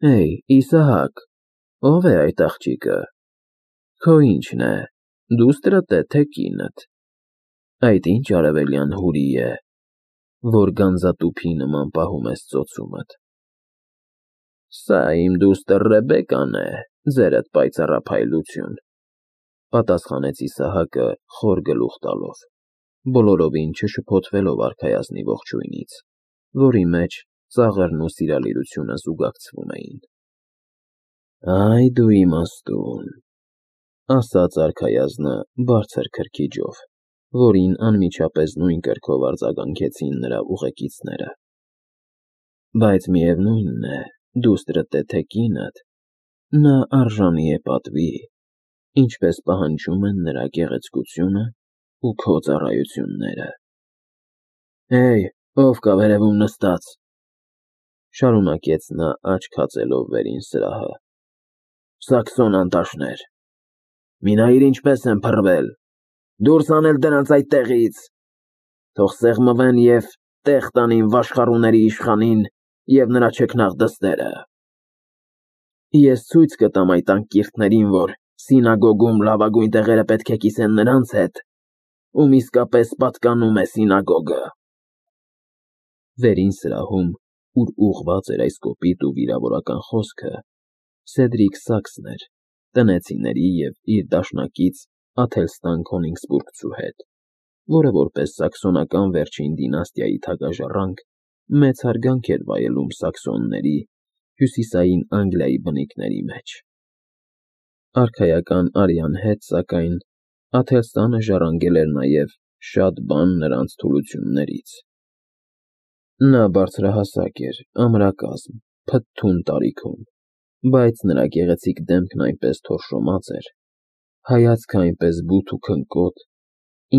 Էй, Իսահակ, ով է այդ աղջիկը։ Քո ինչն է, դուստրդ է, թե կինդ։ Այդ ինչ արևելյան հուրի է, որ գանձատուփի նման պահում ես ծոցումդ։ Սա իմ դուստր Ռեբեկան է, ձերդ պայծառափայլություն, պատասխանեց Իսահակը խոր գլուխ տալով, բոլորովին չշփոթվելով արքայազնի ողջույնից, որի մեջ ծաղրն ու սիրալիրությունը զուգակցվում էին։ Այ դու իմաստուն, ասաց արքայազնը բարձր քրքիջով, որին անմիջապես նույն կրքով արձագանքեցին նրա ուղեկիցները։ Բայց միևնույնն է, դուստրդ է թե կինդ, նա արժանի է պատվի, ինչպես պահանջում են նրա գեղեցկությունը ու քո ծառայությունները։ Էй, ով կա վերևում նստած, շարունակեց նա աչք հացելով վերին սրահը։ Սաքսոն անտաշներ, մի նայիր ինչպես են փռվել, դուրս անել դրանց այդ տեղից, թող սեղմվեն և տեղ տանին վաշխառուների իշխանին և նրա չքնաղ դստերը։ Ես ցույց կտամ այդ անկիրթներին, որ սինագոգում լավագույն տեղերը պետք է կիսեն նրանց հետ, ում իսկապես պատկանում է սինագոգը։ Վերին սրահում, ուր ուղղված էր այս կոպիտ ու վիրավորական խոսքը, Սեդրիկ Սաքսն էր, տնեցիների և իր դաշնակից Աթելստան Քոնիգսբուրգցու հետ, որը որպես սաքսոնական վերջին դինաստիայի թագաժառանգ մեծ հարգանք էր վայելում սաքսոնների, հյուսիսային Անգլիայի բնիկների մեջ։ Արքայական արյան հետ, սակայն, Աթելստանը ժառանգել էր նաև շատ բան նրանց թուլություններից։ Նա բարձրահասակ էր, ամրակազմ, փթթուն տարիքում, բայց նրա գեղեցիկ դեմքն այնպես թորշոմած էր, հայացքը այնպես բութ ու քնկոտ,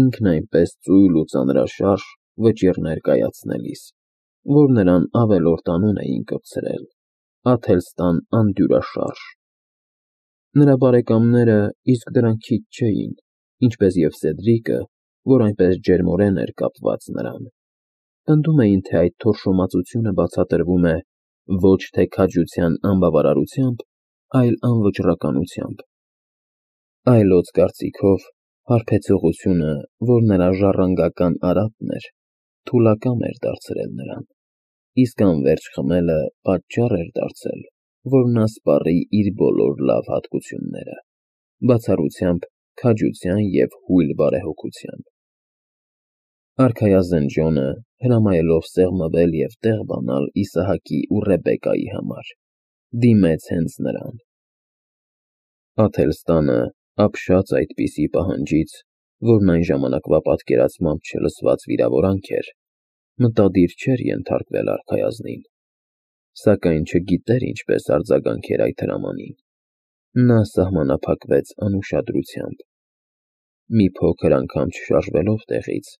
ինքն այնպես ծույլ ու ծանրաշարժ վճիռներ կայացնելիս, որ նրան ավելորդ անուն էին կպցրել. Աթելստան Անդյուրաշարժ։ Նրա բարեկամները իսկ դրան քիչ չէին, ինչպես և Սեդրիկը, որ այնպես ջերմորեն էր կապված նրան։ Պնդում էին, թե այդ թորշոմածությունը բացատրվում է ոչ թե քաջության անբավարարությամբ, այլ անվճռականությամբ։ Այլոց կարծիքով, հարբեցողությունը, որ նրա ժառանգական արատն էր, թուլակամ էր դարձրել նրան, իսկ անվերջ խմելը պատճառ էր դարձել, որ նա սպառի իր բոլոր լավ հատկությունները, բացառությամբ քաջության և հույլ բարեհոգության։ Արքայազն Ջոնը, հրամայելով սեղմվել և տեղ բանալ Իսահակի ու Ռեբեկայի համար, դիմեց հենց նրան։ Աթելստանը, ապշած այդպիսի պահանջից, որն այն ժամանակվա պատկերացմամբ չլսված վիրավորանք էր, մտադիր չէր ենթարկվել արքայազնին, սակայն չգիտեր ինչպես արձագանքեր այդ հրամանին։ Նա սահմանափակվեց անուշադրությամբ։ Մի փոքր անգամ չշարժվելով տեղից,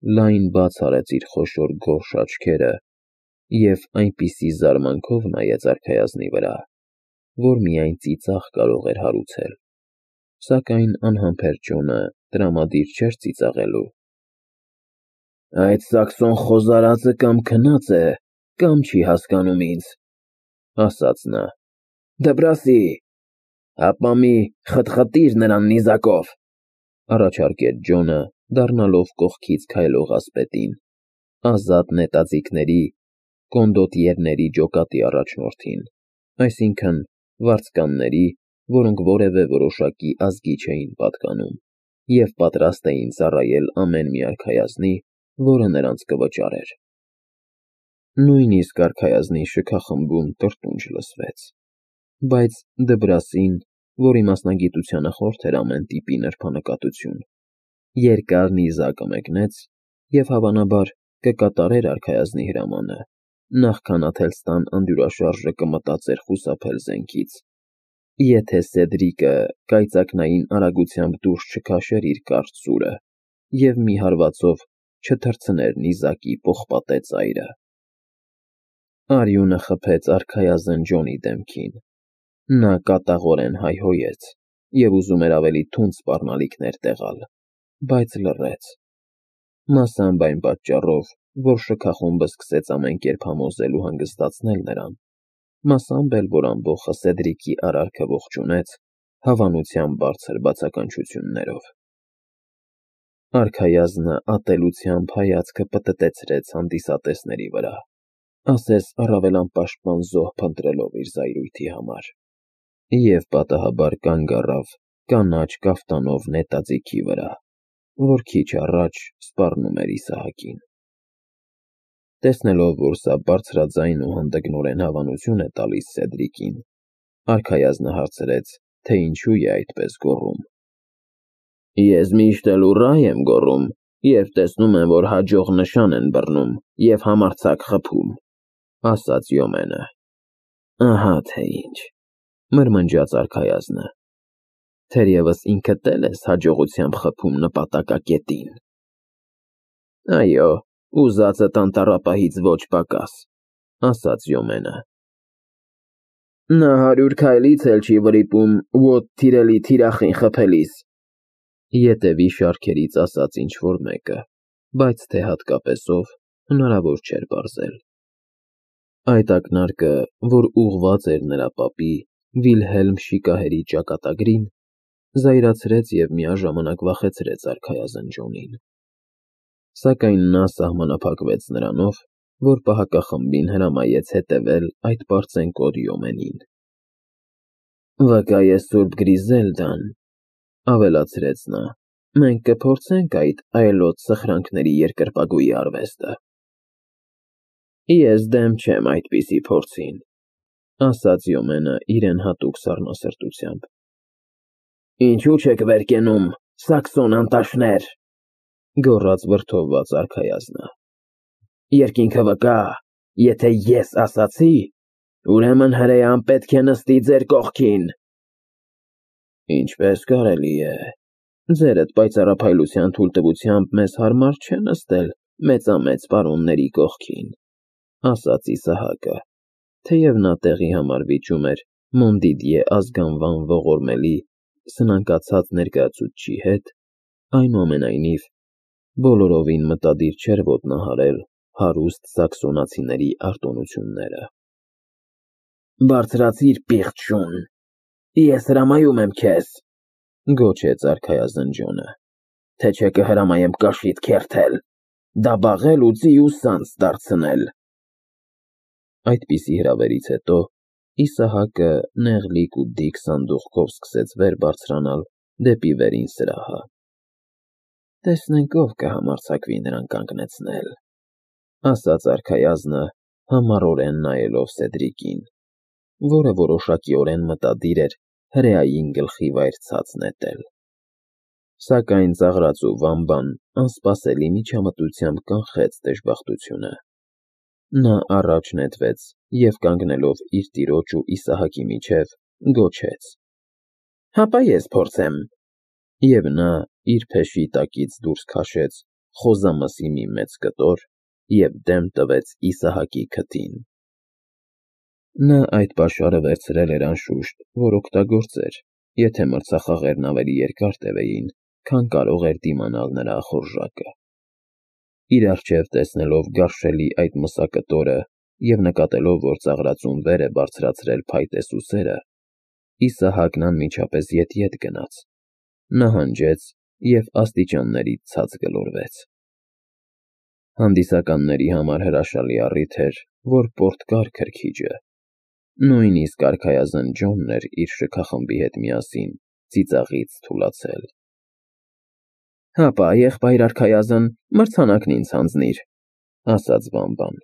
լայն բաց արեց իր խոշոր գորշ աչքերը և այնպիսի զարմանքով նայեց արքայազնի վրա, որ միայն ծիծաղ կարող էր հարուցել, սակայն անհամբեր Ջոնը տրամադիր չէր ծիծաղելու։ Այդ սաքսոն խոզարածը կամ քնած է, կամ չի հասկանում ինձ, ասաց նա։ Դբրասի, ապա մի խտխտիր նրան նիզակով, առաջարկեց Ջոնը, դառնալով կողքից քայլող ասպետին, ազատ նետաձիգների, կոնդոտիերների ջոկատի առաջնորդին, այսինքն վարձկանների, որոնք որևէ որոշակի ազգի չէին պատկանում և պատրաստ էին ծառայել ամեն մի արքայազնի, որը նրանց կվճարեր։ Նույնիսկ արքայազնի շքախմբում տրտունջ լսվեց, բայց Դբրասին, որի մասնագիտությանը խորթ էր ամեն տիպի նրբանկատություն, երկար նիզակը մեկնեց և հավանաբար կկատարեր արքայազնի հրամանը, նախքան Աթելստան Անդյուրաշարժը կմտածեր խուսափել զենքից, եթե Սեդրիկը կայծակնային արագությամբ դուրս չքաշեր իր կարճ սուրը և մի հարվածով չթռցներ նիզակի պողպատե ծայրը։ Արյունը խփեց արքայազն Ջոնի դեմքին։ Նա կատաղորեն հայհոյեց և ուզում էր ավելի թունդ սպառնալիքներ տեղալ, բայց լռեց, մասամբ այն պատճառով, որ շքախումբը սկսեց ամեն կերպ համոզել ու հանգստացնել նրան, մասամբ էլ, որ ամբողջը Սեդրիկի արարքը ողջունեց, հավանության բարձր բացականչություններով։ Արքայազնը ատելությամբ հայացքը պտտեցրեց հանդիսատեսների վրա, ասես առավել անպաշտպան զոհ փնտրելով իր զայրույթի համար, և պատահաբար կանգ առավ կանաչ կաֆտանով նետաձիգի վրա, որ քիչ առաջ սպառնում էր Իսահակին։ Տեսնելով, որ սա բարձրաձայն ու հանդգնորեն հավանություն է տալիս Սեդրիկին, արքայազնը հարցրեց, թե ինչու է այդպես գոռում։ Ես միշտ էլ ուռա եմ գոռում, երբ տեսնում եմ, որ հաջող նշան են բռնում և համարձակ խփում, ասաց Յոմենը։ Ահա թե ինչ, մրմնջաց արքայազնը, թերևս ինքդ էլ ես հաջողությամբ խփում նպատակակետին։ Այո, ուզածդ անտառապահից ոչ պակաս, ասաց Յոմենը։ Նա 100 քայլից էլ չի վրիպում ոտ թիրելի թիրախին խփելիս, ետևի շարքերից ասաց ինչ-որ մեկը, բայց թե հատկապես ով, հնարավոր չէր պարզել։ Այդ ակնարկը, որ ուղղված էր նրա պապի Վիլհելմ շիկահերի ճակատագրին, զայրացրեց և միաժամանակ վախեցրեց արքայազն Ջոնին։ Սակայն նա սահմանափակվեց նրանով, որ պահակախմբին հրամայեց հետևել այդ պարծենկոտ Յոմենին։ Վկա է Սուրբ Գրիզելդան, ավելացրեց նա, մենք կփորձենք այդ այլոց սխրանքների երկրպագուի արվեստը։ Ես դեմ չեմ այդպիսի փորձին, ասաց Յոմենը իրեն հատուկ սառնասրտությամբ։ Ինչու չեք վեր կենում, սաքսոն անտաշներ, գոռաց վրդովված արքայազնը։ Երկինքը վկա, եթե ես ասացի, ուրեմն հրեան պետք է նստի ձեր կողքին։ Ինչպես կարելի է, ձերդ պայծառափայլության թույլտվությամբ մեզ հարմար չէ նստել մեծամեծ պարոնների կողքին, ասաց Իսահակը, թեև նա տեղի համար վիճում էր Մոնդիդիե ազգանվան ողորմելի սնանկացած ներկայացուցչի հետ, այնուամենայնիվ բոլորովին մտադիր չէր ոտնահարել հարուստ սաքսոնացիների արտոնությունները։ Բարձրացիր, պիղծ շուն, ես հրամայում եմ քեզ, գոչեց արքայազն Ջոնը, թե չէ կհրամայեմ կաշիդ քերթել, դաբաղել ու ծի ու սանձ դարձնել։ Այդպիսի հրավերից հետո Իսահակը նեղլիկ ու դիք սանդուղքով սկսեց վեր բարձրանալ դեպի վերին սրահը։ Տեսնենք ով կհամարձակվի նրան կանգնեցնել, ասաց արքայազնը, համառորեն նայելով Սեդրիկին, որը որոշակիորեն մտադիր էր հրեային գլխի վայր ցած նետել։ Սակայն ծաղրածու վամբան անսպասելի միջամտությամբ կանխեց դժբախտությունը։ Նա առաջ նետվեց և կանգնելով իր տիրոջ ու Իսահակի միջև գոչեց. Հապա ես փորձեմ։ Եվ նա իր փեշի տակից դուրս քաշեց խոզամսի մի մեծ կտոր և դեմ տվեց Իսահակի քթին։ Նա այդ պաշարը վերցրել էր անշուշտ, որ օգտագործեր, եթե մրցախաղերն ավելի երկար տևեին, քան կարող էր դիմանալ նրա ախորժակը։ Իր առջև տեսնելով գարշելի այդ մսակտորը և նկատելով, որ ծաղրածուն վեր է բարձրացրել փայտե սուսերը, Իսահակն անմիջապես ետ գնաց, նահանջեց և աստիճաններից ցած գլորվեց։ Հանդիսականների համար հրաշալի առիթ էր, որ պորտկար քրքիջը, նույնիսկ արքայազն Ջոնն էր իր շքախմբի հետ միասին ծիծաղից թուլացել։ Հապա, եղբայր արքայազն, մրցանակն ինձ հանձնիր, ասաց վամբան,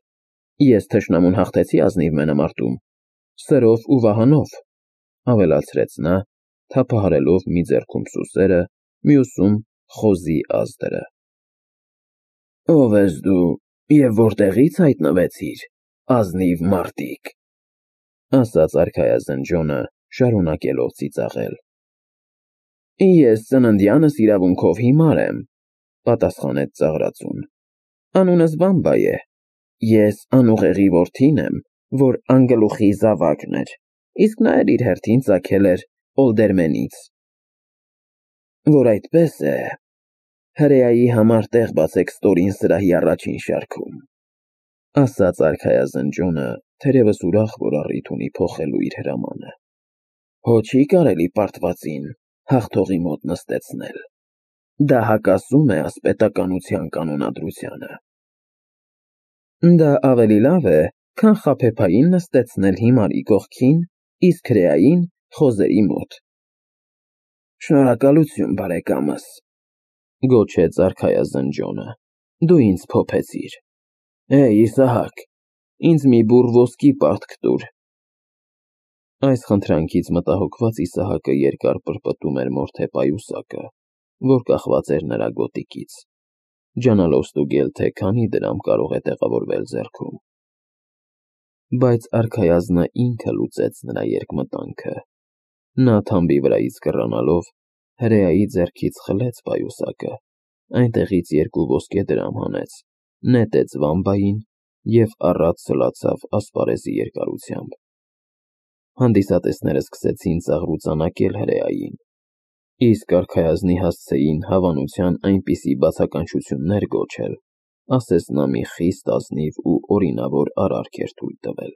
ես թշնամուն հաղթեցի ազնիվ մենամարտում, սրով ու վահանով, ավելացրեց նա, թափահարելով մի ձեռքում սուսերը, մյուսում խոզի ազդրը։ Ո՞վ ես դու և որտեղի՞ց հայտնվեցիր, ազնիվ մարտիկ, ասաց արքայազն Ջոնը, շարունակելով ծիծաղել։ Ես ծննդյանս իրավունքով հիմար եմ, պատասխանեց ծաղրածուն, անունս Վամբա է, ես անուղեղի որդին եմ, որ անգլուխի զավակն էր, իսկ նա էլ իր հերթին ծագել էր Օլդերմենից։ Որ այդպես է, հրեայի համար տեղ բացեք ստորին սրահի առաջին շարքում, ասաց արքայազնջոնը, թերևս ուրախ, որ առիթ ունի փոխելու իր հրամանը։ Հո չի կարելի պարտվածին հաղթողի մոտ նստեցնել։ Դա հակասում է ասպետականության կանոնադրությանը։ Դա ավելի լավ է, քան խաբեբային նստեցնել հիմարի կողքին, իսկ հրեային խոզերի մոտ։ Շնորհակալություն, բարեկամս, գոչեց արքայազնջոնը, դու ինձ փոփեցիր։ Իսահակ, ինձ մի բուռ ոսկի պարտք տուր։ Այս խնդրանքից մտահոգված Իսահակը երկար պրպտում էր մորթե պայուսակը, որ կախված էր նրա գոտիկից, ջանալով ստուգել, թե քանի դրամ կարող է տեղավորվել ձեռքում։ Բայց արքայազնը ինքը լուծեց նրա երկմտանքը։ Նա թամբի վրայից կռանալով հրեայի ձեռքից խլեց պայուսակը, այնտեղից 2 ոսկե դրամ հանեց, նետեց վամբային և առատ սլացավ ասպարեզի երկարությամբ։ Հանդիսատեսները սկսեցին ծաղրուծանակել հրեային, իսկ արքայազնի հասցեին հավանության այնպիսի բացականչություններ գոչել, ասես նա մի խիստ ազնիվ ու օրինավոր արարք էր թույլ տվել։